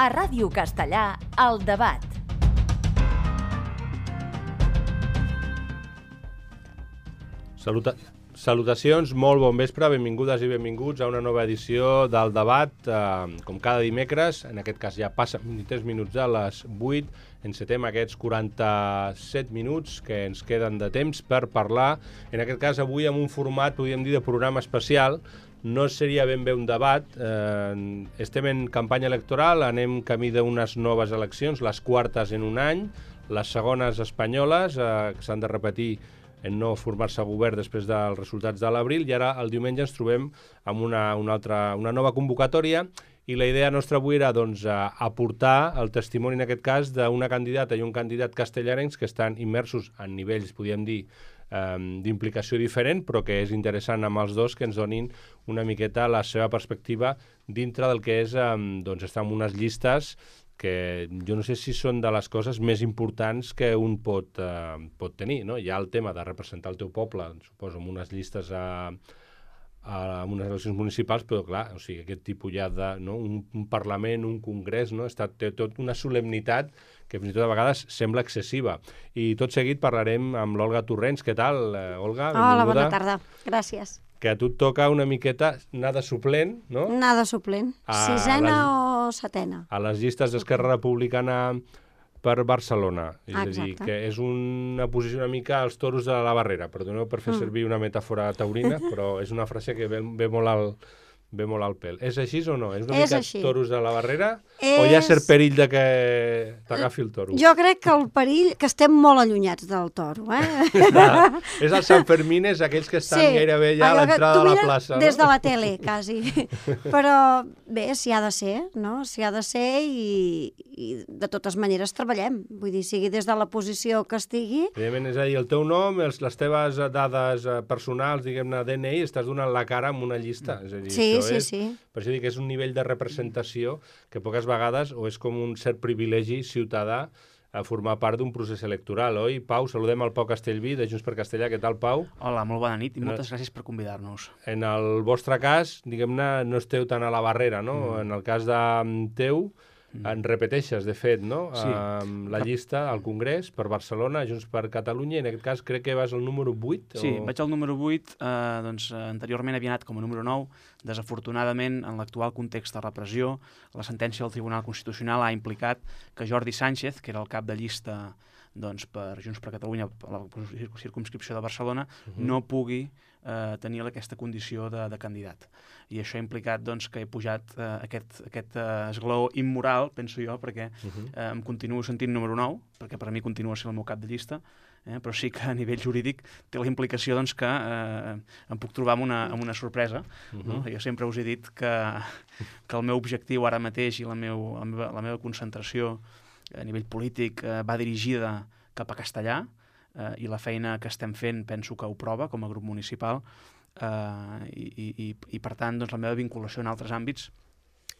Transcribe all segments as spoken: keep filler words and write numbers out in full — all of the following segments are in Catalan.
A Ràdio Castellà, El Debat. Saluta... Salutacions, molt bon vespre, benvingudes i benvinguts a una nova edició del Debat. Eh, com cada dimecres, en aquest cas ja passen vint-i-tres minuts a les vuit, encetem aquests quaranta-set minuts que ens queden de temps per parlar, en aquest cas avui amb un format, podríem dir, de programa especial. No seria ben bé un debat, eh, estem en campanya electoral, anem camí d'unes noves eleccions, les quartes en un any, les segones espanyoles, eh, que s'han de repetir en no formar-se govern després dels resultats de l'abril, i ara el diumenge ens trobem amb una, una, altra, una nova convocatòria, i la idea nostra avui era doncs, aportar el testimoni, en aquest cas, d'una candidata i un candidat castellarencs que estan immersos en nivells, podríem dir, eh, d'implicació diferent, però que és interessant amb els dos que ens donin una miqueta la seva perspectiva dintre del que és eh, doncs, estar en unes llistes que jo no sé si són de les coses més importants que un pot, eh, pot tenir, no? Hi ha el tema de representar el teu poble, suposo, en unes llistes a, a, en unes eleccions municipals, però clar, o sigui, aquest tipus ja de, no? un, un Parlament, un Congrés, no? Està, té tot una solemnitat que fins i tot a vegades sembla excessiva. I tot seguit parlarem amb l'Olga Torrents. Què tal, eh, Olga? Benvinguda. Hola, bona tarda. Gràcies. Que a tu et toca una miqueta anar de suplent, no? Anar de suplent. A Sisena les, o setena. A les llistes d'Esquerra Republicana per Barcelona. És Exacte. a dir, que és una posició una mica als toros de la barrera. Perdoneu per fer mm. servir una metàfora taurina, però és una frase que ve, ve molt al... ve molt al pèl. És així o no? És una és mica així. Toros de la barrera? És... O hi ha cert perill de que t'agafi el toro? Jo crec que el perill, que estem molt allunyats del toro, eh? Clar, és els Sanfermines, aquells que estan sí, gairebé ja a l'entrada de la plaça. Des no? de la tele, quasi. Però bé, s'hi ha de ser, no? S'hi ha de ser i, i de totes maneres treballem. Vull dir, sigui des de la posició que estigui... Evidentment, és a dir, el teu nom, els, les teves dades personals, diguem-ne, D N I, estàs donant la cara amb una llista. És a dir, sí, sí, és, sí. Per això dic que és un nivell de representació que poques vegades o és com un cert privilegi ciutadà a formar part d'un procés electoral, oi? Pau, saludem el Pau Castellví, de Junts per Castellà. Què tal, Pau? Hola, molt bona nit i moltes en... gràcies per convidar-nos. En el vostre cas, diguem-ne, no esteu tan a la barrera, no? Mm. En el cas de teu, en repeteixes, de fet, no? Sí. Um, la llista al Congrés per Barcelona, Junts per Catalunya, i en aquest cas crec que vas al número vuit? Sí, o... vaig al número vuit, eh, doncs anteriorment havia anat com a número nou, desafortunadament, en l'actual context de repressió, la sentència del Tribunal Constitucional ha implicat que Jordi Sánchez, que era el cap de llista doncs, per Junts per Catalunya, per la circumscripció de Barcelona, uh-huh. no pugui eh, tenir aquesta condició de, de candidat. I això ha implicat doncs, que he pujat eh, aquest, aquest eh, esglaó immoral, penso jo, perquè uh-huh. eh, em continuo sentint número nou, perquè per a mi continua sent el meu cap de llista, eh, però sí que a nivell jurídic té la implicació doncs, que eh, em puc trobar amb una, amb una sorpresa. Uh-huh. No? Jo sempre us he dit que, que el meu objectiu ara mateix i la, meu, la, meva, la meva concentració a nivell polític eh, va dirigida cap a Castellà eh, i la feina que estem fent penso que ho prova com a grup municipal eh, i, i, i per tant doncs, la meva vinculació en altres àmbits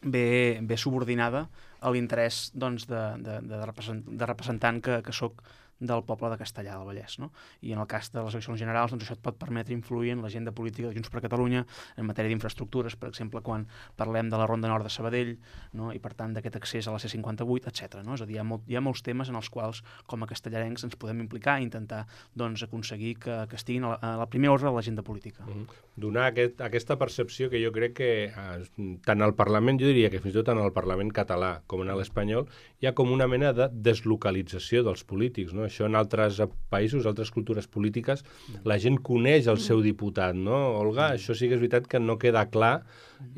ve, ve subordinada a l'interès doncs, de, de, de, represent, de representant que, que soc del poble de Castellà del Vallès. No? I en el cas de les eleccions generals, doncs això et pot permetre influir en l'agenda política de Junts per Catalunya en matèria d'infraestructures, per exemple, quan parlem de la Ronda Nord de Sabadell, no? I per tant d'aquest accés a la C cinquanta-vuit, etcètera. No? És a dir, hi ha, molt, hi ha molts temes en els quals, com a castellarencs, ens podem implicar i intentar doncs, aconseguir que, que estiguin a la, a la primera ordre de l'agenda política. Mm-hmm. Donar aquest, aquesta percepció que jo crec que eh, tant al Parlament, jo diria que fins i tot tant al Parlament català com en l'espanyol, hi ha com una mena de deslocalització dels polítics, no? Això en altres països, altres cultures polítiques, la gent coneix el seu diputat, no? Olga, això sí que és veritat que no queda clar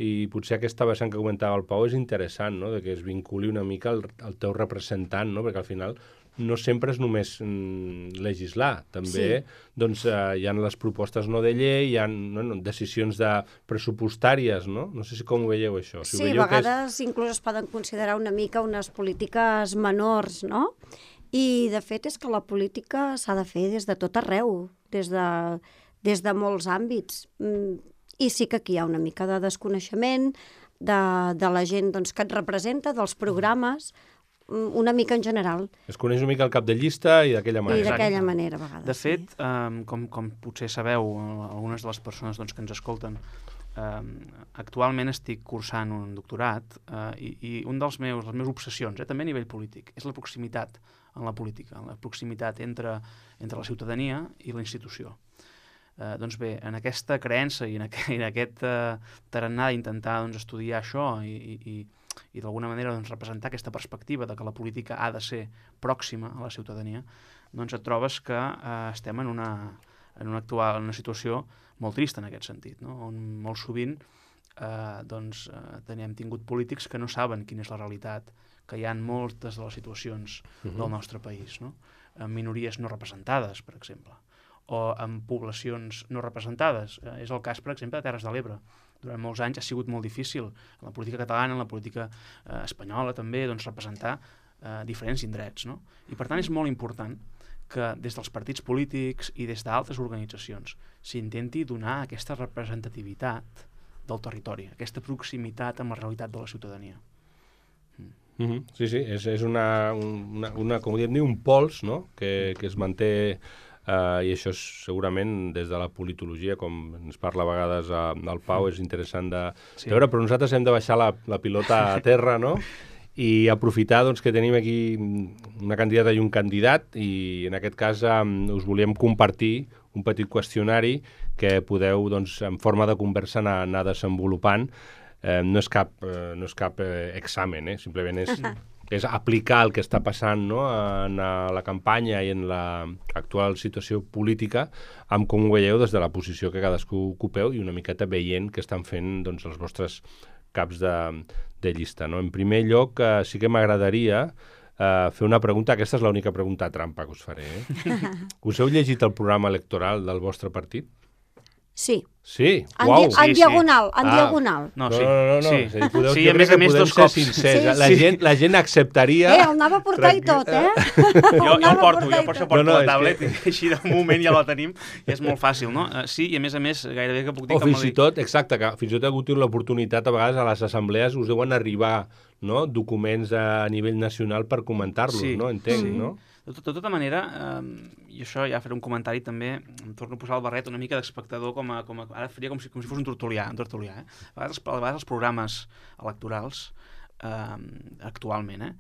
i potser aquesta vessant que comentava el Pau és interessant, no? De que es vinculi una mica al, al teu representant, no? Perquè al final no sempre és només mm, legislar, també sí. doncs, eh, hi ha les propostes no de llei, hi ha no, no, decisions de pressupostàries, no? No sé si com ho veieu això. Si sí, a vegades és... inclús es poden considerar una mica unes polítiques menors, no? I, de fet, és que la política s'ha de fer des de tot arreu, des de, des de molts àmbits. I sí que aquí hi ha una mica de desconeixement de, de la gent doncs, que et representa, dels programes, una mica en general. Es coneix una mica el cap de llista i d'aquella manera. I d'aquella manera, a vegades. De fet, sí. um, com, com potser sabeu, algunes de les persones doncs, que ens escolten, eh, actualment estic cursant un doctorat eh, i, i un dels meus, les meves obsessions, eh, també a nivell polític, és la proximitat en la política, la proximitat entre, entre la ciutadania i la institució. Eh, doncs bé, en aquesta creença i en, aqu en aquest eh, tarannà d'intentar doncs, estudiar això i, i, i, i d'alguna manera doncs, representar aquesta perspectiva de que la política ha de ser pròxima a la ciutadania, doncs et trobes que eh, estem en una, en una actual en una situació molt trista en aquest sentit, no? On molt sovint eh, doncs, eh, tenim tingut polítics que no saben quina és la realitat, que hi ha moltes de les situacions uh -huh. del nostre país, no? En minories no representades, per exemple, o en poblacions no representades. Eh, és el cas, per exemple, de Terres de l'Ebre. Durant molts anys ha sigut molt difícil en la política catalana, en la política eh, espanyola també, doncs, representar eh, diferents indrets, no? I per tant és molt important que des dels partits polítics i des d'altres organitzacions s'intenti donar aquesta representativitat del territori, aquesta proximitat amb la realitat de la ciutadania. Mm -hmm. Sí, sí, és, és una, una, una, com diem, un pols, no?, que, que es manté, eh, i això és segurament des de la politologia, com ens parla a vegades el Pau, és interessant de sí. veure, però nosaltres hem de baixar la, la pilota a terra, no?, i aprofitar doncs, que tenim aquí una candidata i un candidat, i en aquest cas um, us volíem compartir un petit qüestionari que podeu, doncs, en forma de conversa anar, anar desenvolupant. Eh, no és cap, eh, no és cap eh, examen, eh? Simplement és, és aplicar el que està passant, no?, en la campanya i en l'actual situació política, amb com ho veieu des de la posició que cadascú ocupeu i una miqueta veient què estan fent doncs, els vostres caps de, de llista, no? En primer lloc, eh, sí que m'agradaria eh, fer una pregunta. Aquesta és l'única pregunta trampa que us faré. Eh? Us heu llegit el programa electoral del vostre partit? Sí. Sí? En, Uau! di en sí, diagonal, sí. en ah. diagonal. No, sí. No, no, no. no. Sí, sí, podeu, sí, a més a més dos cops. Sí, la, sí. gent, la gent acceptaria... Eh, el anava a portar i tot, eh? Jo, jo el porto, jo per això porto no, no, la tablet, que... i així de moment ja la tenim, i és molt fàcil, no? Uh, sí, i a més a més, gairebé que puc dir o que... fins i tot, exacte, que fins i tot ha hagut l'oportunitat, a vegades, a les assemblees us deuen arribar, no?, documents a nivell nacional per comentar-los, sí, no? Entenc, sí. no? De, tot, de tota manera, eh, i això ja faré un comentari també, em torno a posar el barret una mica d'espectador, com a, com a, ara faria com si, com si fos un tertulià, un tertulià eh? a, vegades, a vegades els programes electorals, eh, actualment, eh,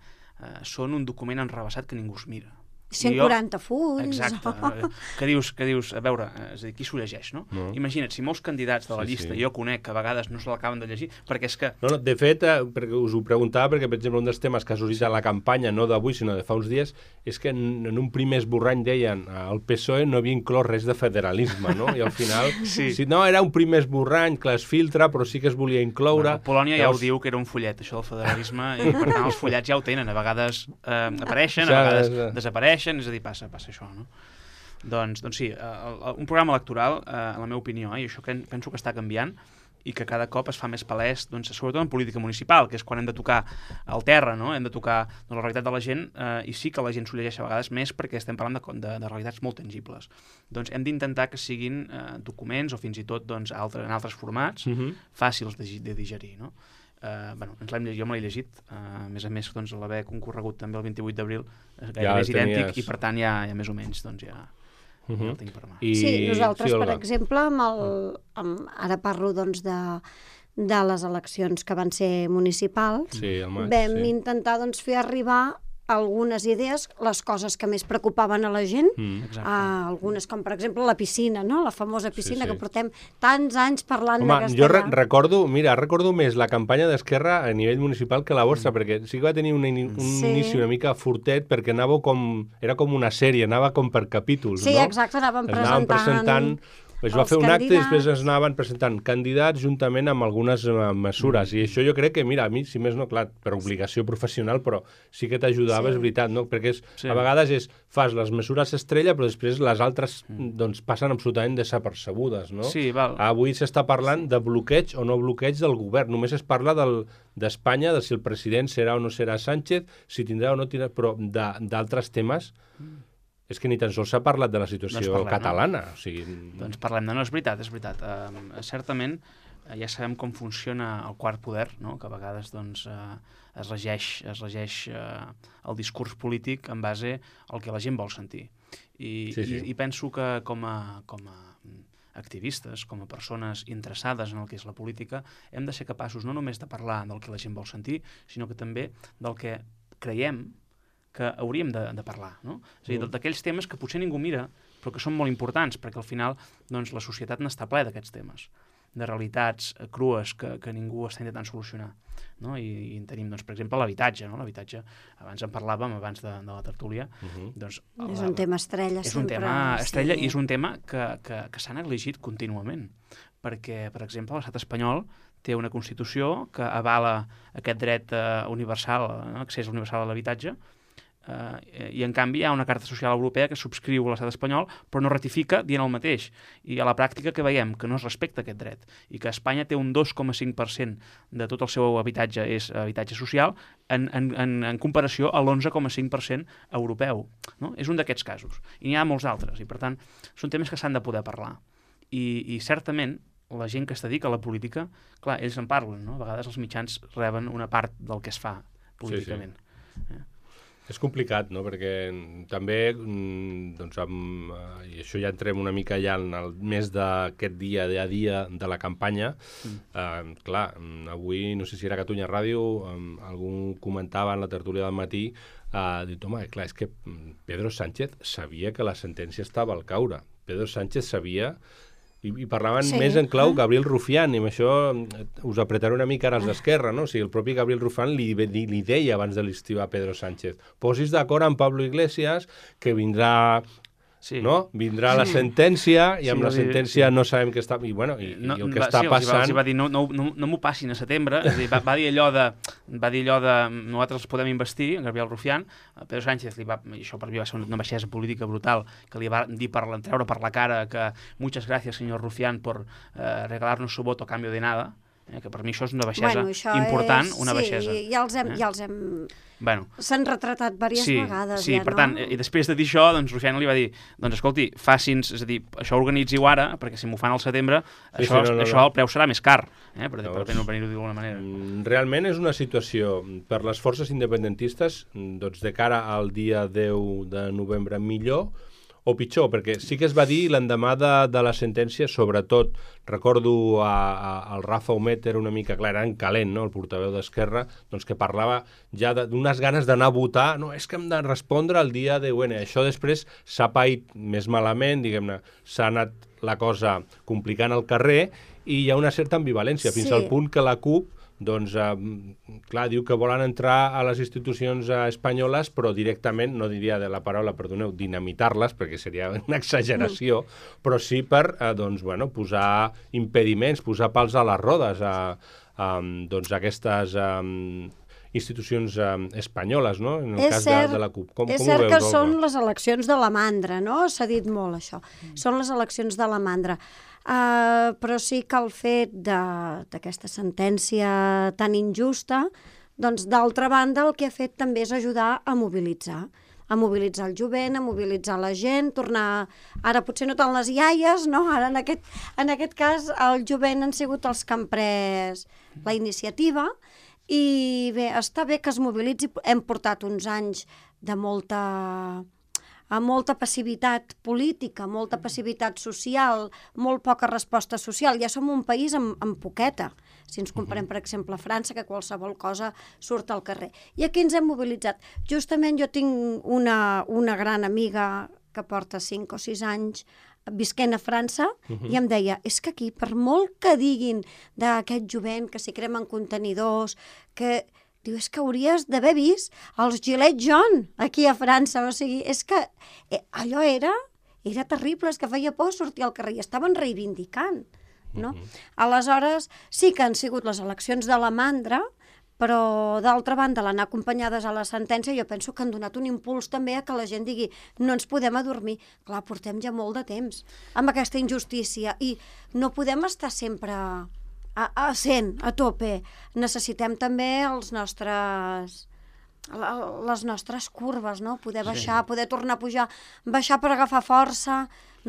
eh, són un document enrevessat que ningú es mira. cent quaranta fulls. Exacte. Eh, que dius, que dius, a veure, és a dir, qui s'ho llegeix, no? no? Imagina't, si molts candidats de la sí, llista sí. jo conec que a vegades no se l'acaben de llegir, perquè és que... No, no, de fet, eh, perquè us ho preguntava, perquè, per exemple, un dels temes que ha sorgit a la campanya, no d'avui, sinó de fa uns dies, és que en, en un primer esborrany deien el P S O E no havia inclòs res de federalisme, no? I al final, sí. si no, era un primer esborrany que es filtra, però sí que es volia incloure... Bueno, Polònia ja ho diu que era un fullet, això del federalisme, i per tant els fullets ja ho tenen, a vegades eh, apareixen, a vegades desapareixen, és a dir, passa, passa això, no? Doncs, doncs sí, el, el, un programa electoral, eh, en la meva opinió, eh, i això que penso que està canviant, i que cada cop es fa més palès, doncs, sobretot en política municipal, que és quan hem de tocar el terra, no? Hem de tocar doncs, la realitat de la gent, eh, i sí que la gent s'ho llegeix a vegades més perquè estem parlant de, de, de realitats molt tangibles. Doncs hem d'intentar que siguin eh, documents o fins i tot doncs, altres, en altres formats uh-huh. fàcils de, de digerir, no? Uh, bueno, ens l'hem llegit, jo me l'he llegit, uh, a més a més, doncs, l'haver concorregut també el vint-i-vuit d'abril gairebé ja és idèntic, tenies... i per tant ja, ja més o menys doncs, ja, uh-huh. ja el tinc per mà. I... Sí, nosaltres, sí, per exemple, amb el, amb, ara parlo doncs, de, de les eleccions que van ser municipals, sí, el maig, vam sí. intentar doncs, fer arribar algunes idees, les coses que més preocupaven a la gent, mm. uh, algunes com per exemple la piscina, no? La famosa piscina sí, sí. que portem tants anys parlant Home, de Castellà. jo re recordo, mira, recordo més la campanya d'Esquerra a nivell municipal que la vostra, mm. perquè sí que va tenir un, in un sí. inici una mica fortet, perquè anava com, era com una sèrie, anava com per capítols, sí, no? Sí, exacte, anàvem es presentant... Anaven presentant es va fer un candidats. acte i després es anaven presentant candidats juntament amb algunes uh, mesures. Mm. I això jo crec que, mira, a mi, si més no, clar, per obligació professional, però sí que t'ajudava, sí. és veritat, no? Perquè és, sí. a vegades és, fas les mesures estrella, però després les altres mm. doncs, passen absolutament desapercebudes, no? Sí, val. Avui s'està parlant de bloqueig o no bloqueig del govern. Només es parla d'Espanya, de si el president serà o no serà Sánchez, si tindrà o no tindrà, però d'altres temes... Mm. És que ni tan sols s'ha parlat de la situació doncs parlem, catalana. No? O sigui... Doncs parlem de... No, és veritat, és veritat. Uh, certament, uh, ja sabem com funciona el quart poder, no? Que a vegades doncs, uh, es regeix, es regeix uh, el discurs polític en base al que la gent vol sentir. I, sí, sí. i, i penso que com a, com a activistes, com a persones interessades en el que és la política, hem de ser capaços no només de parlar del que la gent vol sentir, sinó que també del que creiem que hauríem de, de parlar, no? És a dir, d'aquells temes que potser ningú mira, però que són molt importants, perquè al final doncs, la societat n'està ple d'aquests temes, de realitats crues que, que ningú està intentant solucionar. No? I, i en tenim, doncs, per exemple, l'habitatge. No? L'habitatge, abans en parlàvem, abans de, de la tertúlia. Uh-huh. doncs, és un tema estrella, és sempre. És un tema estrella sí. i és un tema que, que, que s'ha negligit contínuament. Perquè, per exemple, l'estat espanyol té una Constitució que avala aquest dret uh, universal, no? accés universal a l'habitatge, Uh, i en canvi hi ha una Carta Social Europea que subscriu l'estat espanyol però no ratifica dient el mateix, i a la pràctica que veiem que no es respecta aquest dret i que Espanya té un dos coma cinc per cent de tot el seu habitatge és habitatge social en, en, en, en comparació a l'onze coma cinc per cent europeu, no? És un d'aquests casos i n'hi ha molts altres i per tant són temes que s'han de poder parlar i, i certament la gent que es dedica a la política, clar, ells en parlen, no? A vegades els mitjans reben una part del que es fa políticament. Sí, sí. Eh? És complicat, no?, perquè també, doncs, amb, i això ja entrem una mica ja en el mes d'aquest dia a dia de la campanya, mm. eh, clar, avui, no sé si era Catalunya Ràdio, eh, algú comentava en la tertúlia del matí, eh, dit, home, clar, és que Pedro Sánchez sabia que la sentència estava al caure. Pedro Sánchez sabia... I, i parlaven sí. més en clau Gabriel Rufián, i amb això us apretaré una mica ara els d'Esquerra, no? O sigui, el propi Gabriel Rufián li, li, li deia abans de l'estiu a Pedro Sánchez, posis d'acord amb Pablo Iglesias, que vindrà... Sí. No? Vindrà la sentència i amb sí, la sentència sí. no sabem què està... I, bueno, i, no, i el que va, està sí, passant... Els va dir, no, no, no, no m'ho passin a setembre, és a dir, va, va dir allò de... Va dir allò de... Nosaltres podem investir, Gabriel Rufián, Pedro Sánchez, li va, i això per mi va ser una baixesa política brutal, que li va dir per treure per la cara que muchas gracias, señor Rufián, por eh, regalarnos su voto a cambio de nada, eh, que per mi això és una baixesa bueno, important, és... una sí, baixesa. Ja els hem... Eh? Ja els hem... Bueno, s'han retratat diverses sí, vegades, sí, ja, per no? tant, i després de dir això, doncs Rufián li va dir, doncs escolti, faci'ns, és a dir, això organitzi-ho ara, perquè si m'ho fan al setembre, sí, això, sí, no, no, això no. El preu serà més car, eh, per, Llavors, per no venir-ho d'alguna manera. Realment és una situació per les forces independentistes, doncs de cara al dia deu de novembre millor o pitjor, perquè sí que es va dir l'endemà de, de la sentència, sobretot, recordo a, a, al Rafa Humet, era una mica, clar, era en calent, no?, el portaveu d'Esquerra, doncs que parlava ja d'unes ganes d'anar a votar, no, és que hem de respondre el dia deu ene. Això després s'ha paït més malament, diguem-ne, s'ha anat la cosa complicant al carrer i hi ha una certa ambivalència, fins sí. al punt que la CUP doncs, eh, clar, diu que volen entrar a les institucions eh, espanyoles, però directament, no diria de la paraula, perdoneu, dinamitar-les, perquè seria una exageració, mm. però sí per, eh, doncs, bueno, posar impediments, posar pals a les rodes a, a, doncs, a aquestes a, institucions a, espanyoles, no?, en el és cas cert, de, de la CUP. Com, és com cert ho veus, que Olga? Són les eleccions de la mandra, no? S'ha dit molt, això. Mm. Són les eleccions de la mandra. Uh, però sí que el fet d'aquesta sentència tan injusta, doncs d'altra banda el que ha fet també és ajudar a mobilitzar, a mobilitzar el jovent, a mobilitzar la gent, tornar... Ara potser no tant les iaies, no? Ara en aquest, en aquest cas el jovent han sigut els que han pres la iniciativa i bé, està bé que es mobilitzi. Hem portat uns anys de molta... amb molta passivitat política, molta passivitat social, molt poca resposta social. Ja som un país amb, amb poqueta, si ens comparem, per exemple, a França, que qualsevol cosa surt al carrer. I aquí ens hem mobilitzat. Justament jo tinc una, una gran amiga que porta cinc o sis anys visquent a França, uh-huh. i em deia, és que aquí, per molt que diguin d'aquest jovent, que s'hi cremen contenidors, que... Diu, és que hauries d'haver vist els Gilets Jaunes aquí a França. O sigui, és que eh, allò era, era terrible, és que feia por sortir al carrer i estaven reivindicant, no? Uh-huh. Aleshores, sí que han sigut les eleccions de la mandra, però d'altra banda, l'anar acompanyades a la sentència, jo penso que han donat un impuls també a que la gent digui, no ens podem adormir. Clar, portem ja molt de temps amb aquesta injustícia i no podem estar sempre... A, a cent, a tope. Necessitem també els nostres, les nostres curves, no? Poder baixar, sí. poder tornar a pujar, baixar per agafar força.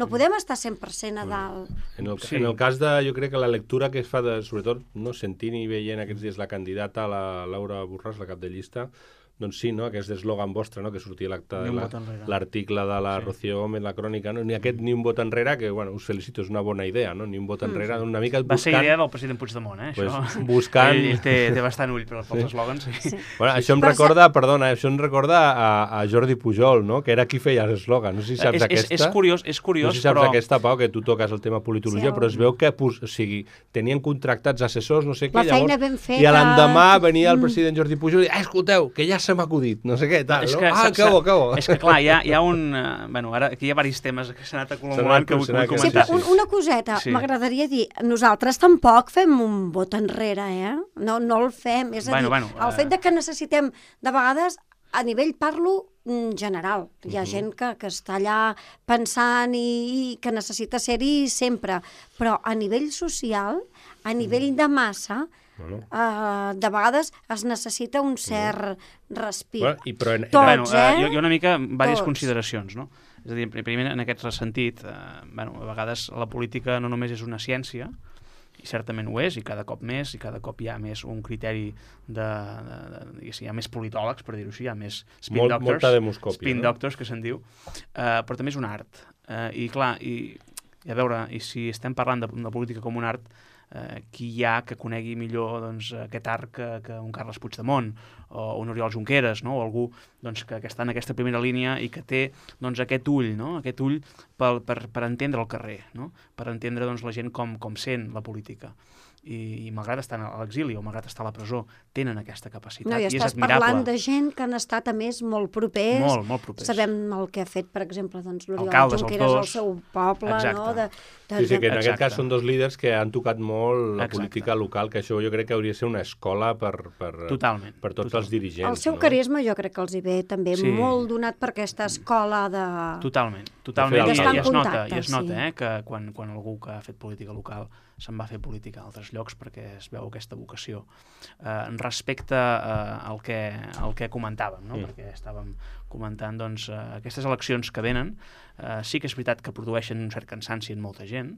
No podem estar cent per cent a dalt. En el, sí. en el cas de, jo crec que la lectura que es fa, de, sobretot, no sentint i veient aquests dies la candidata, la Laura Borràs, la cap de llista, doncs sí, no? Aquest eslògan vostre, no? Que sortia l'acte Ni de un la- vot enrere. l'article de la Sí. Rocío Gómez, la crònica, no? Ni aquest ni un vot enrere, que, bueno, us felicito, és una bona idea, no? Ni un vot enrere, una mica Va ser buscant... idea del president Puigdemont, eh, Pues, això. buscant... Ell, ell té, té bastant ull per, pels eslògans. Sí. Sí. Bueno, això em Però recorda, perdona, això em recorda a, a Jordi Pujol, no? Que era qui feia els eslògans. No sé si saps és, és, aquesta. és curiós, és curiós, no sé si saps però... aquesta, Pau, que tu toques el tema politologia, Sí, el- però es veu que pos, o sigui, tenien contractats assessors, no sé què, La feina llavors... ben feta. I a l'endemà venia el Mm. president Jordi Pujol i, ah, escolteu, que ja se m'ha acudit, no sé què, tal, És no? que, Ah, s'ha- que bo, que bo. És que, clar, hi ha, hi ha un... Uh, bueno, ara aquí hi ha diversos temes que s'han anat acumulant que vull, S'han anat vull Sí, comentar. però un, una coseta, Sí. m'agradaria dir, nosaltres tampoc fem un vot enrere, eh? No, no el fem, és a Bueno, dir, bueno, el eh. fet de que necessitem, de vegades, a nivell parlo mm, general, hi ha Mhm. gent que, que està allà pensant i, i que necessita ser-hi sempre, però a nivell social, a nivell de massa, Bueno. eh, de vegades es necessita un cert respir. Bueno, i però en, Tots, Bueno, eh? eh, jo, jo una mica, diverses Tots. consideracions, no? És a dir, primer, en aquest sentit, eh, bueno, a vegades la política no només és una ciència, i certament ho és, i cada cop més, i cada cop hi ha més un criteri de, de, de diguéssim, hi ha més politòlegs, per dir-ho així, hi ha més spin Molt- doctors, molta demoscòpia, spin no? doctors, que se'n diu, eh, però també és un art. Eh, I clar, i, i a veure, i si estem parlant de, de política com un art, eh, qui hi ha que conegui millor doncs, aquest art que, que un Carles Puigdemont o un Oriol Junqueras, no? O algú doncs, que, que està en aquesta primera línia i que té doncs, aquest ull, no? Aquest ull per, per, per entendre el carrer, no? Per entendre doncs, la gent com, com sent la política. I, i malgrat estar a l'exili o malgrat estar a la presó, tenen aquesta capacitat No, i i és estàs admirable. parlant de gent que han estat, a més, molt propers. Molt, molt propers. Sabem el que ha fet, per exemple, doncs, l'Oriol Alcaldes, els Junqueras al dos. seu poble, Exacte. no? De, de, Sí, sí, que en Exacte. aquest cas són dos líders que han tocat molt la Exacte. política local, que això jo crec que hauria de ser una escola per, per, Totalment. per tots totalment. els dirigents. El seu no? carisma jo crec que els hi ve també Sí. molt donat per aquesta escola de... Totalment, De totalment. fet, I, estar i en es nota, contacte, i es nota sí. eh, que quan, quan algú que ha fet política local se'n va fer política a altres llocs perquè es veu aquesta vocació. Eh, respecte eh, al, que, al que comentàvem, no? Mm. Perquè estàvem comentant doncs, eh, aquestes eleccions que venen, eh, sí que és veritat que produeixen un cert cansanci en molta gent,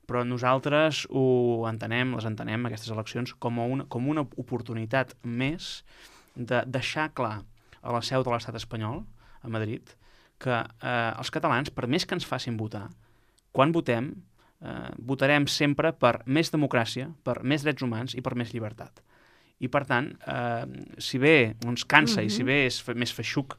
però nosaltres ho entenem, les entenem, aquestes eleccions, com, a una, com una oportunitat més de deixar clar a la seu de l'estat espanyol, a Madrid, que eh, els catalans, per més que ens facin votar, quan votem, eh, votarem sempre per més democràcia, per més drets humans i per més llibertat. I, per tant, eh, si bé ens cansa mm -hmm. i si bé és fe més feixuc,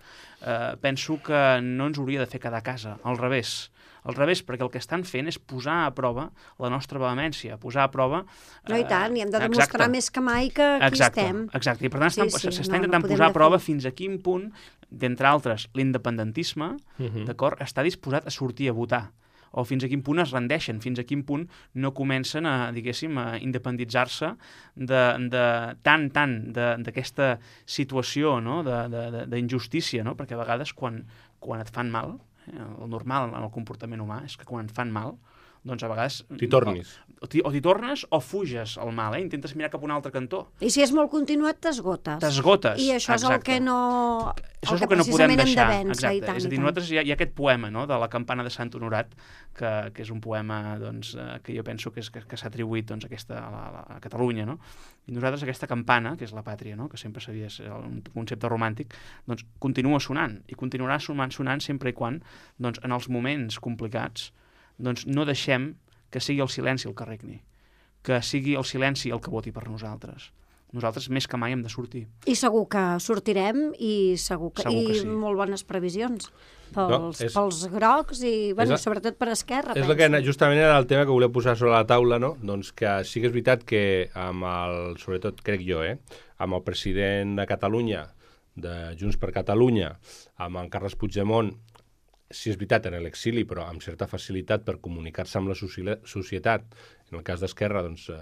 eh, penso que no ens hauria de fer quedar a casa, al revés. Al revés, perquè el que estan fent és posar a prova la nostra vehemència, posar a prova... No, i tant, i hem de exacte. demostrar més que mai que aquí Exacte, estem. exacte. I per tant Sí, s'està sí, sí, no, no intentant podem posar a prova defallir. fins a quin punt, d'entre altres, l'independentisme, Mhm. d'acord, està disposat a sortir a votar, o fins a quin punt es rendeixen, fins a quin punt no comencen a, diguéssim, a independitzar-se de, de tant, tant de- d'aquesta situació, no? de- de- de- d'injustícia, no? Perquè a vegades quan, quan et fan mal, eh, el normal en el comportament humà és que quan et fan mal, doncs a vegades... T'hi tornis. O t'hi o t'hi tornes o fuges al mal, eh? Intentes mirar cap a un altre cantó. I si és molt continuat, t'esgotes. T'esgotes, I això és el exacte. que no... Això és el que no podem precisament hem de deixar. vèncer, Exacte. i tant, És a i dir, tant. nosaltres hi ha, hi ha aquest poema, no?, de la campana de Sant Honorat, que, que és un poema doncs, eh, que jo penso que, és, que, que s'ha atribuït doncs, a, aquesta, a, la, a Catalunya, no? I nosaltres aquesta campana, que és la pàtria, no?, que sempre sabia ser un concepte romàntic, doncs continua sonant, i continuarà sonant, sonant sempre i quan, doncs, en els moments complicats, doncs no deixem que sigui el silenci el que regni, que sigui el silenci el que voti per nosaltres. Nosaltres més que mai hem de sortir. I segur que sortirem i segur que, Segur que i sí. molt bones previsions pels, No, és- pels grocs i, bueno, la- sobretot per Esquerra. És el que penso. justament era el tema que volia posar sobre la taula, no? Doncs que sí que és veritat que amb el, sobretot crec jo, eh, amb el president de Catalunya, de Junts per Catalunya, amb el Carles Puigdemont, sí és veritat en l'exili, però amb certa facilitat per comunicar-se amb la soci- societat. En el cas d'Esquerra, doncs, eh,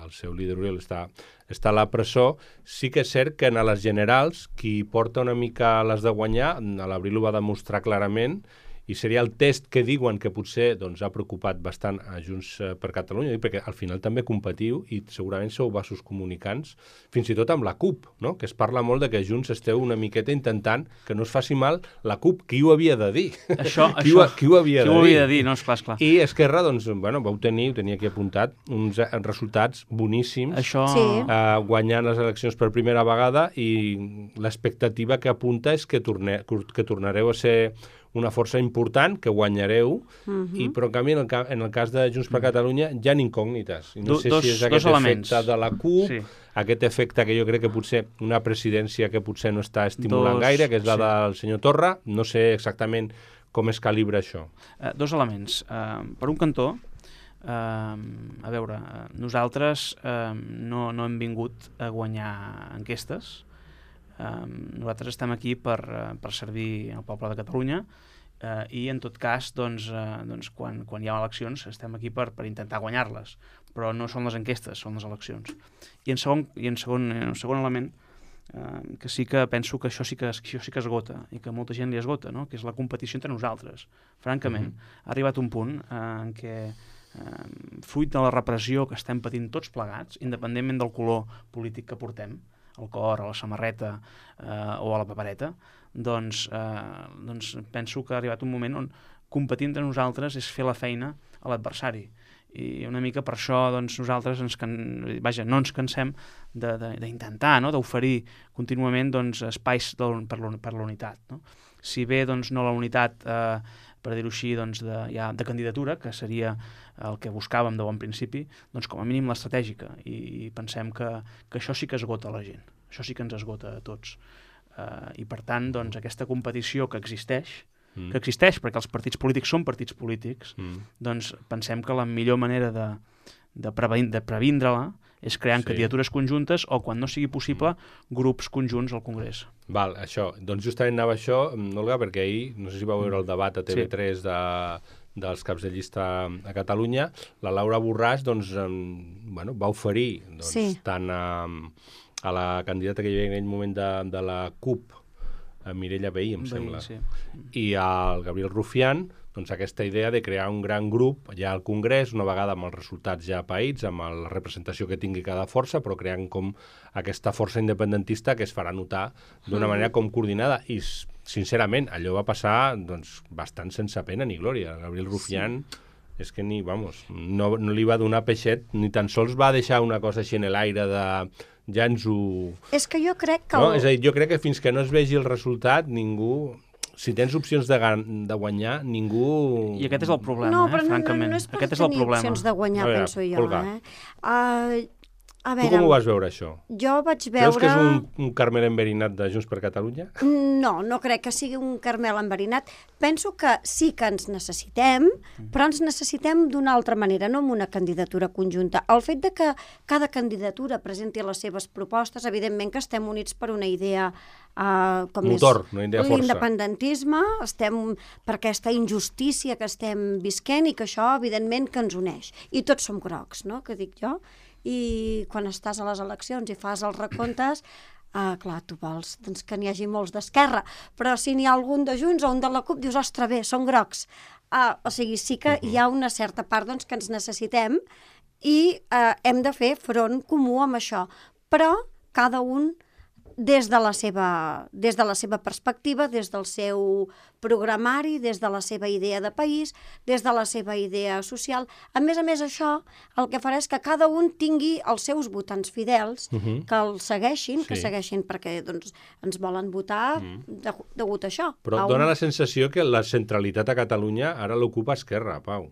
el seu líder Oriol està, està a la presó. Sí que és cert que en les generals, qui porta una mica les de guanyar, a l'abril ho va demostrar clarament, i seria el test que diuen que potser doncs, ha preocupat bastant a Junts per Catalunya, perquè al final també competiu i segurament sou vasos comunicants, fins i tot amb la CUP, no? Que es parla molt de que Junts esteu una miqueta intentant que no es faci mal la CUP. Qui ho havia de dir? Això, qui, això, ho, qui ho havia, qui de, ho havia dir? de dir? No, esclar, esclar. I Esquerra, doncs, bueno, vau tenir, ho tenia aquí apuntat, uns resultats boníssims, Això... Sí. Uh, guanyant les eleccions per primera vegada, i l'expectativa que apunta és que, torne, que tornareu a ser una força important, que guanyareu, uh-huh. i, però en canvi en el, ca en el cas de Junts per Catalunya hi ha incògnites. I no Do, sé dos, si és aquest efecte de la CUP, sí. aquest efecte que jo crec que potser una presidència que potser no està estimulant dos, gaire, que és la sí. del senyor Torra, no sé exactament com es calibra això. Uh, dos elements. Uh, per un cantó, uh, a veure, uh, nosaltres uh, no, no hem vingut a guanyar enquestes. Um, nosaltres estem aquí per, uh, per servir al poble de Catalunya, uh, i en tot cas doncs, uh, doncs quan, quan hi ha eleccions estem aquí per, per intentar guanyar-les, però no són les enquestes, són les eleccions. I en segon, i en segon, en segon element, uh, que sí que penso que això sí que, això sí que esgota, i que molta gent li esgota, no? Que és la competició entre nosaltres. Francament, mm-hmm. ha arribat un punt uh, en què uh, fruit de la repressió que estem patint tots plegats, independentment del color polític que portem, al cor, a la samarreta eh, o a la papereta, doncs, eh, doncs penso que ha arribat un moment on competir entre nosaltres és fer la feina a l'adversari. I una mica per això doncs, nosaltres ens can... Vaja, no ens cansem d'intentar, no? D'oferir contínuament doncs, espais de, per la unitat. No? Si bé doncs, no la unitat, eh, per dir-ho així, doncs, de, ja, de candidatura, que seria el que buscàvem de bon principi, doncs com a mínim l'estratègica. I, i pensem que, que això sí que esgota la gent. Això sí que ens esgota a tots. Uh, I per tant, doncs, aquesta competició que existeix, mm. que existeix perquè els partits polítics són partits polítics, mm. doncs pensem que la millor manera de, de, previn de previndre-la és creant sí. candidatures conjuntes o, quan no sigui possible, grups conjunts al Congrés. Val, això. Doncs justament anava això, Olga, perquè ahir, no sé si vau veure el debat a T V tres sí. de, dels caps de llista a Catalunya, la Laura Borràs doncs, um, bueno, va oferir doncs, sí. tant a, a la candidata que hi havia en aquell moment de, de la CUP, a Mireia Vehí, em Vehí, sembla, sí. i al Gabriel Rufián, doncs aquesta idea de crear un gran grup ja al Congrés, una vegada amb els resultats ja païts, amb la representació que tingui cada força, però creant com aquesta força independentista que es farà notar d'una mm. manera com coordinada. I, sincerament, allò va passar doncs, bastant sense pena ni glòria. Gabriel Rufián sí. és que ni, vamos, no, no li va donar peixet, ni tan sols va deixar una cosa així en l'aire de... ja ens ho... És que jo crec que... No? El... És a dir, jo crec que fins que no es vegi el resultat, ningú... Si tens opcions de, de guanyar, ningú... I aquest és el problema, no, eh, francament. No, no, no és per aquest és el tenir problema. opcions de guanyar, veure, penso jo. Olga. Eh? Uh, a veure, tu com ho vas veure, això? Jo vaig veure... Creus que és un, un Carmel enverinat de Junts per Catalunya? No, no crec que sigui un Carmel enverinat. Penso que sí que ens necessitem, però ens necessitem d'una altra manera, no amb una candidatura conjunta. El fet de que cada candidatura presenti les seves propostes, evidentment que estem units per una idea uh, com motor, és una idea força. L'independentisme, estem per aquesta injustícia que estem visquent i que això, evidentment, que ens uneix. I tots som grocs, no?, que dic jo. I quan estàs a les eleccions i fas els recomptes, uh, clar, tu vols doncs, que n'hi hagi molts d'Esquerra, però si n'hi ha algun de Junts o un de la CUP, dius, ostres, bé, són grocs. Uh, o sigui, sí que hi ha una certa part doncs, que ens necessitem i uh, hem de fer front comú amb això, però cada un des de la seva, des de la seva perspectiva, des del seu programari, des de la seva idea de país, des de la seva idea social. A més a més, això el que farà és que cada un tingui els seus votants fidels, uh-huh. que el segueixin, sí. que segueixin perquè doncs, ens volen votar uh-huh. de, degut a això. Però a dona un... la sensació que la centralitat a Catalunya ara l'ocupa Esquerra, Pau.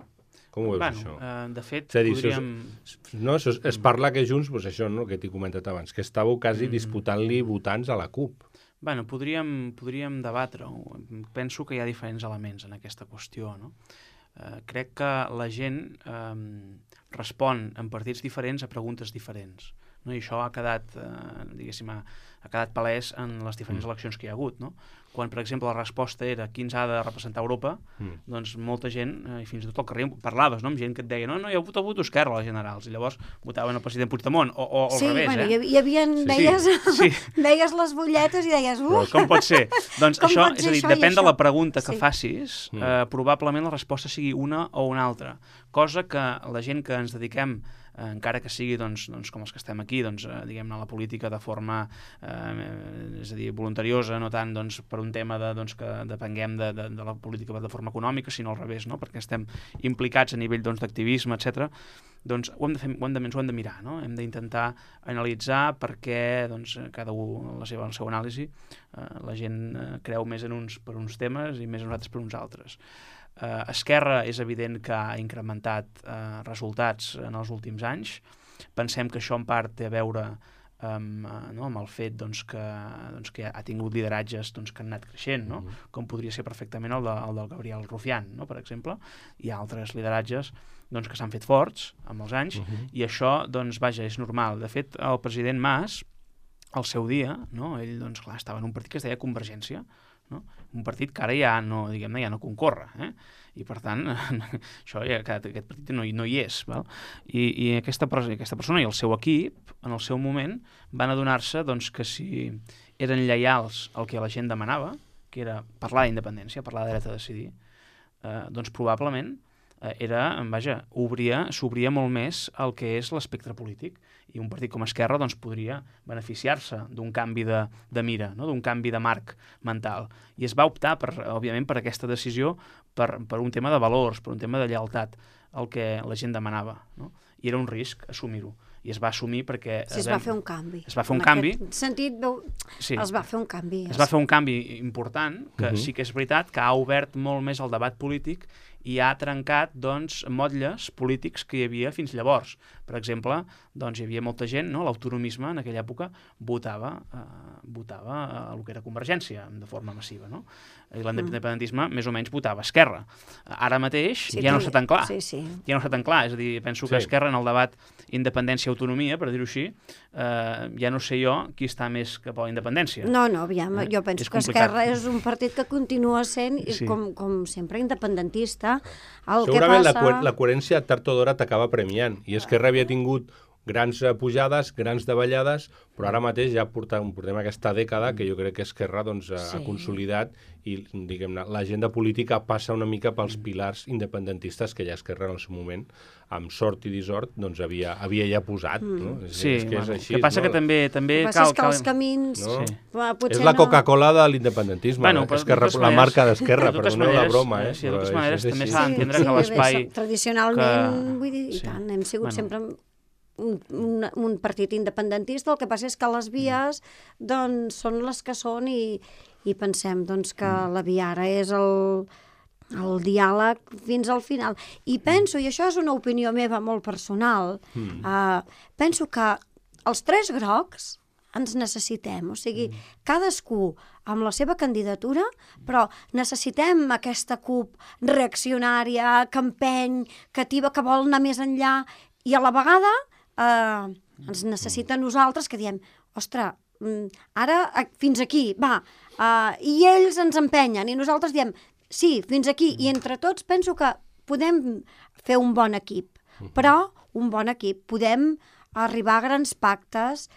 Com ho veus, bueno, això? Uh, de fet, dir, podríem... Es, no, es, es parla que Junts, pues això, no, que t'he comentat abans, que estàveu quasi mm. disputant-li votants a la CUP. Bueno, podríem, podríem debatre-ho. Penso que hi ha diferents elements en aquesta qüestió, no? Uh, crec que la gent uh, respon en partits diferents a preguntes diferents. no? I això ha quedat, eh, diguéssim, ha, ha quedat palès en les diferents Mm. eleccions que hi ha hagut, no? Quan, per exemple, la resposta era qui ens ha de representar Europa, Mm. doncs molta gent, eh, i fins i tot al carrer parlaves, no? Amb gent que et deia, no, no, jo voto, voto Esquerra a les generals, i llavors votaven el president Puigdemont, o, o, o Sí, al revés, bueno, eh? hi, havia- hi havia, Sí, veies, sí. veies les butlletes i deies, Però uf, com pot ser? Doncs Com això, pot és ser a dir, això i depèn de això? la pregunta que Sí. facis, Mm. eh, probablement la resposta sigui una o una altra, cosa que la gent que ens dediquem, eh, encara que sigui doncs, doncs, com els que estem aquí, doncs, eh, diguem-ne, a la política de forma eh, és a dir, voluntariosa, no tant doncs, per un tema de, doncs, que depenguem de, de, de la política de forma econòmica, sinó al revés, no? Perquè estem implicats a nivell doncs, d'activisme, etcètera. Doncs ho hem de fer, ho hem de, ens ho hem de mirar, no? Hem d'intentar analitzar per què doncs, cada un la seva, la seva anàlisi, eh, la gent eh, creu més en uns per uns temes i més en nosaltres per uns altres. Eh, Esquerra és evident que ha incrementat eh, resultats en els últims anys. Pensem que això en part té a veure amb, eh, no, amb el fet doncs, que, doncs, que ha tingut lideratges doncs, que han anat creixent, no? Mm-hmm. Com podria ser perfectament el, de, el del Gabriel Rufián, no? Per exemple. Hi ha altres lideratges doncs, que s'han fet forts amb els anys, Mhm. i això, doncs, vaja, és normal. De fet, el president Mas, al seu dia, no? Ell doncs, clar, estava en un partit que es deia Convergència, no? Un partit que ara ja no, diguem-ne, ja no concorre, eh? I per tant, això ja, aquest partit no hi, no hi és, val? I, i aquesta, aquesta persona i el seu equip, en el seu moment, van adonar-se doncs, que si eren lleials al que la gent demanava, que era parlar d'independència, parlar de dret a decidir, eh, doncs probablement eh, era, vaja, obria, s'obria molt més el que és l'espectre polític, i un partit com Esquerra doncs, podria beneficiar-se d'un canvi de, de mira, no? D'un canvi de marc mental. I es va optar, per, òbviament, per aquesta decisió per, per un tema de valors, per un tema de lleialtat, el que la gent demanava, no? I era un risc assumir-ho. I es va assumir perquè... sí, es va fer un canvi. Es va fer un en canvi. En aquest sentit, veu, Sí. es va fer un canvi. Es va fer un canvi important, que Mhm. sí que és veritat que ha obert molt més el debat polític i ha trencat doncs, motlles polítics que hi havia fins llavors. Per exemple, doncs, hi havia molta gent, no? L'autonomisme en aquella època votava, eh, votava eh, el que era Convergència de forma massiva, no? I l'independentisme més o menys votava Esquerra. Ara mateix Sí, ja no tu- està tan clar. Sí, sí. Ja no està tan clar, és a dir, penso que Sí. Esquerra en el debat independència-autonomia, per dir-ho així, eh, ja no sé jo qui està més cap a la independència. No, no, aviam, Eh? jo penso És que complicat. Esquerra és un partit que continua sent, Sí. sí. com, com sempre, independentista. El Segurament que la, passa... cohe- la coherència tard o d'hora t'acaba premiant. I Esquerra havia tingut grans eh, pujades, grans davallades, però ara mateix ja portem, portem aquesta dècada que jo crec que Esquerra doncs, ha, Sí. ha consolidat i diguem-ne l'agenda política passa una mica pels pilars independentistes que ja Esquerra en el seu moment, amb sort i dissort, doncs havia, havia ja posat. No? És, Sí, és que és bueno, així. que passa no? que també, també El que passa cal... és que cal... els camins... No? Sí. va, potser És la no- Coca-Cola de l'independentisme, Bueno, eh? però de Esquerra, totes la maneres- marca d'Esquerra, de totes perdoneu la maneres, broma. Eh? eh, sí, de però totes és- maneres és també així. s'ha d'entendre que bé, l'espai... som- Tradicionalment, que- vull dir, i sí. tant, hem sigut Bueno. sempre un, un, un partit independentista, el que passa és que les vies doncs, són les que són i, i pensem doncs, que Mm. la via ara és el, el diàleg fins al final. I penso, i això és una opinió meva molt personal, Mm. uh, penso que els tres grocs ens necessitem, o sigui, cadascú amb la seva candidatura, però necessitem aquesta CUP reaccionària, que empeny, que ativa, que vol anar més enllà, i a la vegada eh, ens necessita a nosaltres que diem, ostres, mm, ara a- fins aquí, va, eh, i ells ens empenyen, i nosaltres diem, sí, fins aquí, i entre tots penso que podem fer un bon equip, però un bon equip, podem arribar a grans pactes,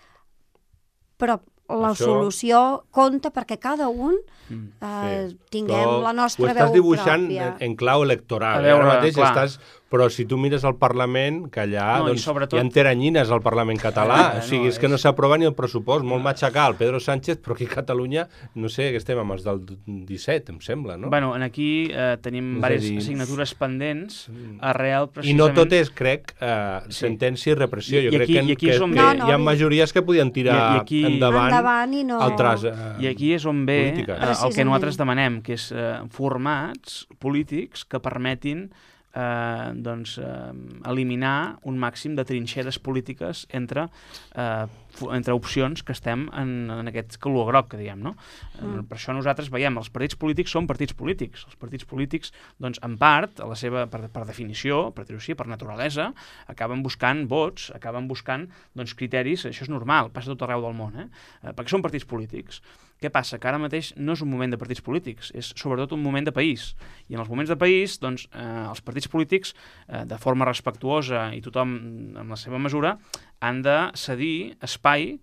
però la Això- solució compta perquè cada un Mm. eh, Sí, tinguem però la nostra ho estàs veu dibuixant pròpia. en, en clau electoral. A eh? veure, Ara mateix clar. estàs... Però si tu mires el Parlament, que allà No, i doncs, sobretot- hi ha teranyines al Parlament català. Ah, o sigui, no, és que és- no s'aprova ni el pressupost. Molt matxacar el Pedro Sánchez, però aquí a Catalunya, no sé, que estem amb els del disset, em sembla, no? Bueno, en aquí eh, tenim És a diverses dir- assignatures pendents arrel I precisament... no tot és, crec, eh, Sí. sentència i repressió. I- Jo i crec aquí- que, i aquí que, és on que ve- No, no, hi ha i- majories que podien tirar I- i aquí- endavant, Endavant i no... altres... Eh, I aquí és on ve polítiques. eh, el que Precisament. nosaltres demanem, que és eh, formats polítics que permetin eh, doncs, eh, eliminar un màxim de trinxeres polítiques entre, eh, entre opcions que estem en, en aquest color groc, que diem, no? Mm. Per això nosaltres veiem, els partits polítics són partits polítics. Els partits polítics, doncs, en part, a la seva, per, per definició, per dir-ho així, per naturalesa, acaben buscant vots, acaben buscant doncs, criteris, això és normal, passa tot arreu del món, eh? Eh, perquè són partits polítics. Què passa? Que ara mateix no és un moment de partits polítics, és sobretot un moment de país. I en els moments de país, doncs, eh, els partits polítics, eh, de forma respectuosa i tothom en la seva mesura, han de cedir espai,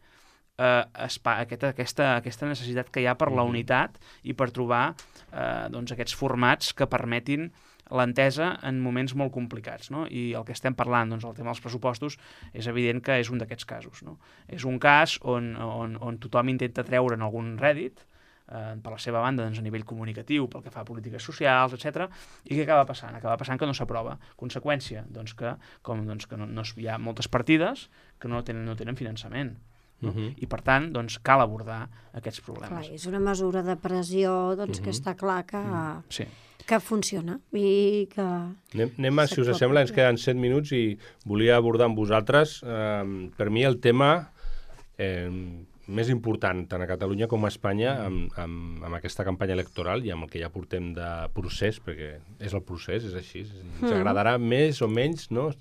eh, espai aquesta, aquesta, aquesta necessitat que hi ha per la unitat i per trobar eh, doncs, aquests formats que permetin l'entesa en moments molt complicats, no? I el que estem parlant, doncs, el tema dels pressupostos, és evident que és un d'aquests casos, no? És un cas on, on, on tothom intenta treure'n algun rèdit, eh, per la seva banda, doncs, a nivell comunicatiu, pel que fa a polítiques socials, etcètera. I què acaba passant? Acaba passant que no s'aprova. Conseqüència, doncs, que, com, doncs, que no, no hi ha moltes partides que no tenen, no tenen finançament. No? Uh-huh. I per tant, doncs, cal abordar aquests problemes. Clar, és una mesura de pressió doncs, uh-huh. que està clar que... Uh-huh. Sí. que funciona i que... Anem, anem a, si us sembla, ens queden set minuts i volia abordar amb vosaltres, eh, per mi el tema eh, més important tant a Catalunya com a Espanya amb, amb, amb aquesta campanya electoral i amb el que ja portem de procés, perquè és el procés, és així, ens agradarà mm. més o menys, no?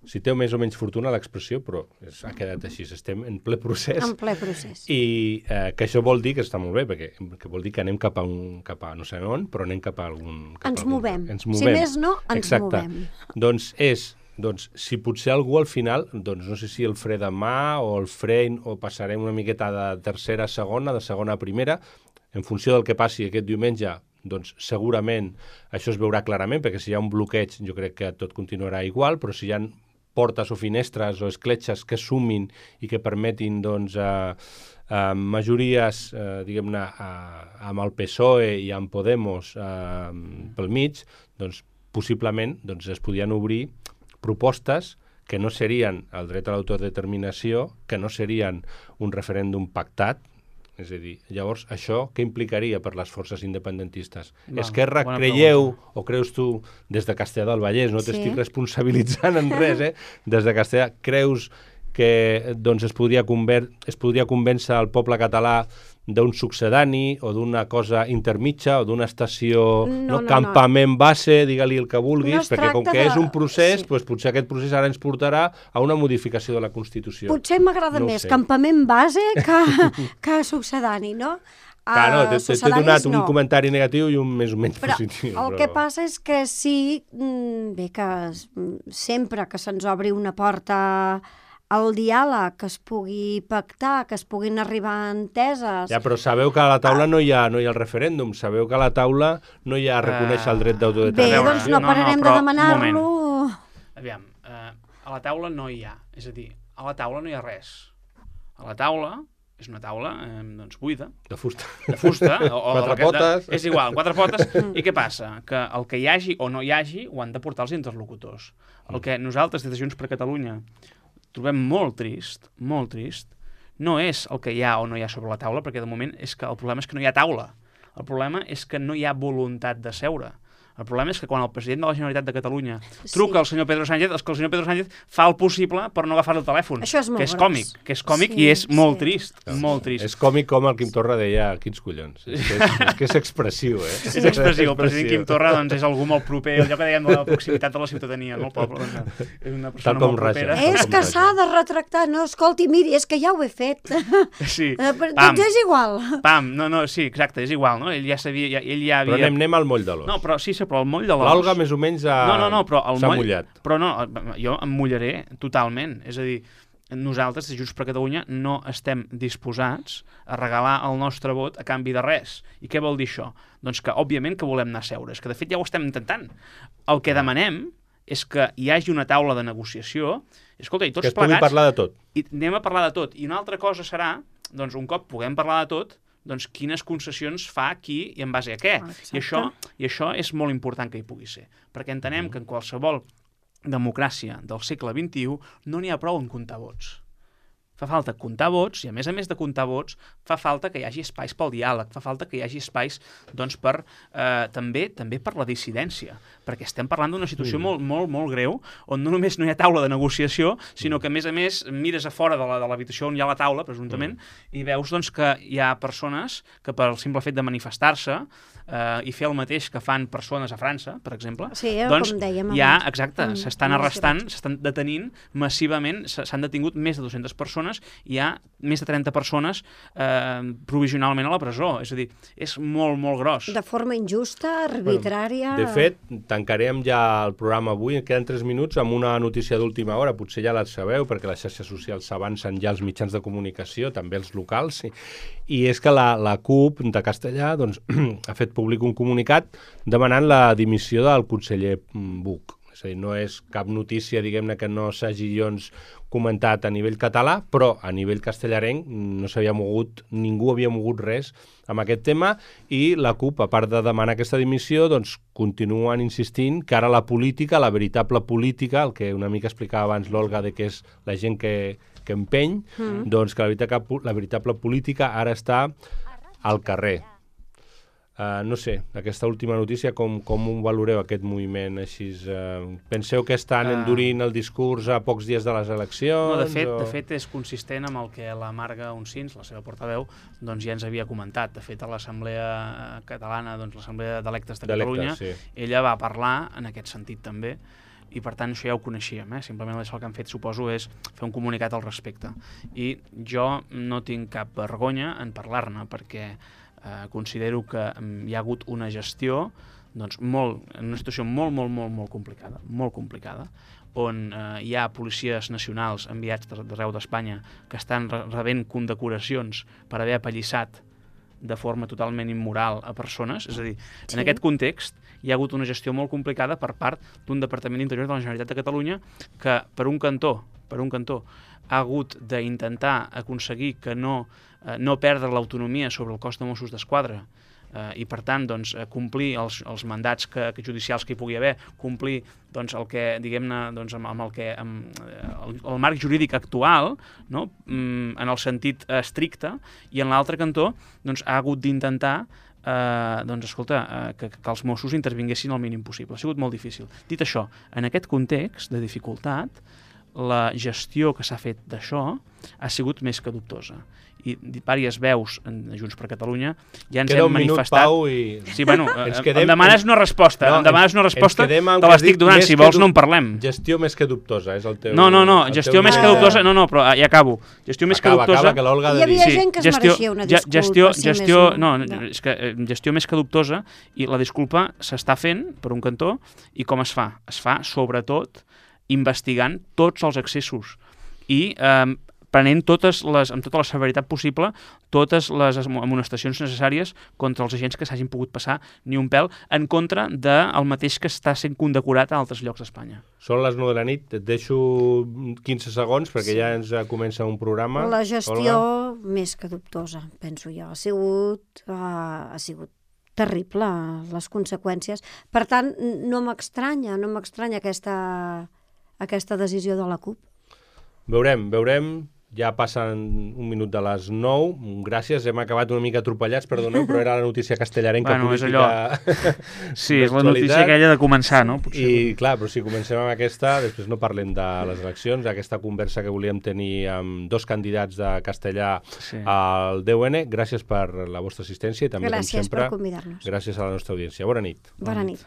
Si té més o menys fortuna l'expressió, però és, ha quedat així, estem en ple procés. En ple procés. I eh, que això vol dir que està molt bé, perquè que vol dir que anem cap a, un, cap a no sé on, però anem cap a algun... Cap ens, a algun, movem. ens movem. Si més no, ens Exacte. movem. Doncs és, doncs, si potser algú al final, doncs no sé si el fre de mà o el fre o passarem una miqueta de tercera a segona, de segona a primera, en funció del que passi aquest diumenge, doncs segurament això es veurà clarament, perquè si hi ha un bloqueig jo crec que tot continuarà igual, però si hi ha portes o finestres o escletxes que sumin i que permetin doncs, eh, eh, majories eh, diguem-ne eh, amb el P S O E i amb Podemos eh, pel mig, doncs possiblement doncs, es podien obrir propostes que no serien el dret a l'autodeterminació, que no serien un referèndum pactat. És a dir, llavors, això què implicaria per les forces independentistes? Va, Esquerra, creieu, pregunta. O creus tu, des de Castellà del Vallès, no t'estic sí. responsabilitzant en res, eh? Des de Castellà, creus que doncs, es, podria conver es podria convèncer el poble català d'un succedani o d'una cosa intermitja o d'una estació, no, no, no, campament no. base, digue-li el que vulguis, no perquè com que de... és un procés, sí. doncs, potser aquest procés ara ens portarà a una modificació de la Constitució. Potser m'agrada no més campament base que, que succedani, no? Clar, no, t'he donat un no. comentari negatiu i un més o menys però positiu. El però... que passa és que sí, bé, que sempre que se'ns obri una porta el diàleg, que es pugui pactar, que es puguin arribar a enteses... Ja, però sabeu que a la taula no hi ha, no hi ha el referèndum, sabeu que a la taula no hi ha reconèixer el dret d'autodeterminació. Bé, doncs no pararem no, no, de demanar-lo... Aviam, eh, a la taula no hi ha, és a dir, a la taula no hi ha res. A la taula és una taula eh, doncs, buida. De fusta. De fusta. O, o quatre de, potes. De, és igual, quatre potes. I què passa? Que el que hi hagi o no hi hagi ho han de portar els interlocutors. El que nosaltres, des de Junts per Catalunya, trobem molt trist, molt trist, no és el que hi ha o no hi ha sobre la taula, perquè de moment és que el problema és que no hi ha taula. El problema és que no hi ha voluntat de seure. El problema és que quan el president de la Generalitat de Catalunya truca sí. al senyor Pedro Sánchez, és que el senyor Pedro Sánchez fa el possible per no agafar el telèfon. Això és molt que és gros. còmic, que és còmic sí, i és molt sí. trist, no, molt trist. És còmic com el Quim Torra deia, quins collons. És que és, és, que és expressiu, eh? Sí. És expressiu. El president Quim Torra doncs, és algú molt proper, allò que dèiem de la proximitat de la ciutadania, no el poble. Doncs, és una persona molt propera. És que s'ha de retractar, no, escolti, miri, és que ja ho he fet. Sí. Doncs és igual. Pam, no, no, sí, exacte, és igual, no? Ell ja sabia, ja, ell ja havia... Però anem, anem al moll de l'os. No, però sí, sí, però el moll de l'os... L'Olga més o menys ha... no, no, no, però el s'ha moll... mullat. Però no, jo em mullaré totalment. És a dir, nosaltres, de Junts per Catalunya, no estem disposats a regalar el nostre vot a canvi de res. I què vol dir això? Doncs que, òbviament, que volem anar a seure. És que, de fet, ja ho estem intentant. El que demanem és que hi hagi una taula de negociació. Escolta, i tots que es pugui plegats... parlar de tot. I anem a parlar de tot. I una altra cosa serà, doncs, un cop puguem parlar de tot, doncs quines concessions fa qui i en base a què. Ah, I, això, I això és molt important que hi pugui ser. Perquè entenem que en qualsevol democràcia del segle vint-i-u no n'hi ha prou en comptar vots. fa falta comptar vots, i a més a més de comptar vots, fa falta que hi hagi espais pel diàleg, fa falta que hi hagi espais doncs, per, eh, també també per la dissidència, perquè estem parlant d'una situació mm. molt, molt, molt greu, on no només no hi ha taula de negociació, sinó que, a més a més, mires a fora de l'habitació on hi ha la taula, presumptament, mm. i veus doncs, que hi ha persones que, per el simple fet de manifestar-se eh, i fer el mateix que fan persones a França, per exemple, sí, doncs com dèiem hi ha, abans. exacte, Mm. s'estan arrestant, s'estan detenint massivament, s'han detingut més de dues-centes persones, hi ha més de trenta persones eh, provisionalment a la presó. És a dir, és molt, molt gros. De forma injusta, arbitrària... Bueno, de fet, tancarem ja el programa avui, queden tres minuts, amb una notícia d'última hora, potser ja la sabeu, perquè les xarxes socials s'avancen ja als mitjans de comunicació, també els locals, i, i és que la, la CUP de Castellà doncs, ha fet públic un comunicat demanant la dimissió del conseller Buch. És a dir, no és cap notícia, diguem-ne, que no s'hagi doncs, comentat a nivell català, però a nivell castellarenc no s'havia mogut, ningú havia mogut res amb aquest tema, i la CUP, a part de demanar aquesta dimissió, doncs continuen insistint que ara la política, la veritable política, el que una mica explicava abans l'Olga, de que és la gent que, que empeny, mm. doncs que la veritable, la veritable política ara està al carrer. Uh, no sé, aquesta última notícia, com, com ho valoreu, aquest moviment així? Uh, penseu que estan endurint el discurs a pocs dies de les eleccions? No, de fet, o... de fet és consistent amb el que la Marga Uncins, la seva portaveu, doncs ja ens havia comentat. De fet, a l'Assemblea Catalana, doncs l'Assemblea d'Electes de Catalunya, sí. ella va parlar en aquest sentit també, i per tant això ja ho coneixíem, eh? Simplement això el que han fet, suposo, és fer un comunicat al respecte. I jo no tinc cap vergonya en parlar-ne, perquè eh, considero que hi ha hagut una gestió doncs, molt, en una situació molt, molt, molt, molt complicada, molt complicada, on eh, hi ha policies nacionals enviats d'arreu d'Espanya que estan rebent condecoracions per haver apallissat de forma totalment immoral a persones. És a dir, sí. en aquest context hi ha hagut una gestió molt complicada per part d'un Departament d'Interior de la Generalitat de Catalunya que, per un cantó, per un cantó ha hagut d'intentar aconseguir que no, eh, no perdre l'autonomia sobre el cos de Mossos d'Esquadra, eh, i per tant doncs, complir els, els mandats que, que judicials que hi pugui haver, complir doncs, el que, diguem-ne, doncs, amb, amb el que amb, el, el marc jurídic actual, no? mm, en el sentit estricte, i en l'altre cantó doncs, ha hagut d'intentar eh, doncs, escolta, eh, que, que els Mossos intervinguessin el mínim possible. Ha sigut molt difícil. Dit això, en aquest context de dificultat, la gestió que s'ha fet d'això ha sigut més que dubtosa. I diverses veus en Junts per Catalunya ja ens Queda hem manifestat... Pau, i... Sí, bueno, ens quedem... em demanes una resposta, no, em demanes una resposta, te l'estic donant, si vols no en parlem. Gestió més que dubtosa, és el teu... No, no, no, gestió més que dubtosa, no, no, però ja acabo. Gestió més que dubtosa... Acaba, que l'Olga Hi havia gent que es gestió, mereixia una disculpa. Gestió, si gestió, més no, no, és que gestió més que dubtosa, i la disculpa s'està fent per un cantó, i com es fa? Es fa, sobretot, investigant tots els excessos i eh, prenent totes les, amb tota la severitat possible totes les amonestacions necessàries contra els agents que s'hagin pogut passar ni un pèl en contra del mateix que està sent condecorat a altres llocs d'Espanya. Són les nou de la nit, et deixo quinze segons perquè sí. ja ens comença un programa. La gestió Olga? Més que dubtosa, penso jo. Ha sigut, uh, ha sigut terrible, les conseqüències. Per tant, no m'estranya, no m'estranya aquesta, aquesta decisió de la CUP. Veurem, veurem. Ja passen un minut de les nou. Gràcies, hem acabat una mica atropellats, perdoneu, però era la notícia castellarenca bueno, política. És allò. Sí, és la notícia aquella de començar, no? Potser. I clar, però si comencem amb aquesta, després no parlem de les eleccions, aquesta conversa que volíem tenir amb dos candidats de castellà sí. al D U N. Gràcies per la vostra assistència i també, gràcies com sempre, per convidar-nos. Gràcies a la nostra audiència. Bona nit. Bona nit.